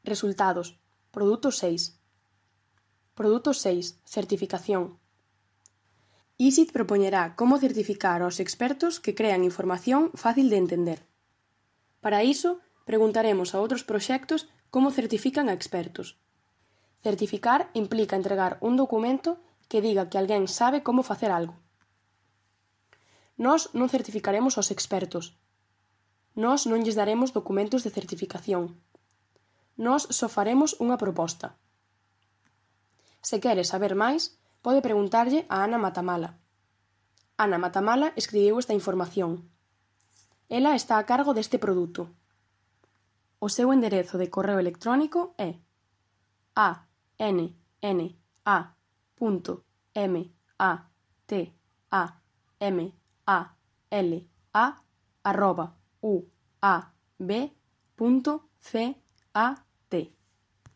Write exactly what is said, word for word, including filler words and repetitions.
Resultados. Produto seis. Produto seis. Certificación. I S I T propoñerá como certificar aos expertos que crean información fácil de entender. Para iso, preguntaremos a outros proxectos como certifican a expertos. Certificar implica entregar un documento que diga que alguén sabe como facer algo. Nós non certificaremos aos expertos. Nós non lles daremos documentos de certificación. Nós só faremos unha proposta. Se quere saber máis, pode preguntarlle a Ana Matamala. Ana Matamala escribiu esta información. Ela está a cargo deste produto. O seu enderezo de correo electrónico é a n n a punto m a t a m a l a arroba u a b punto c a t.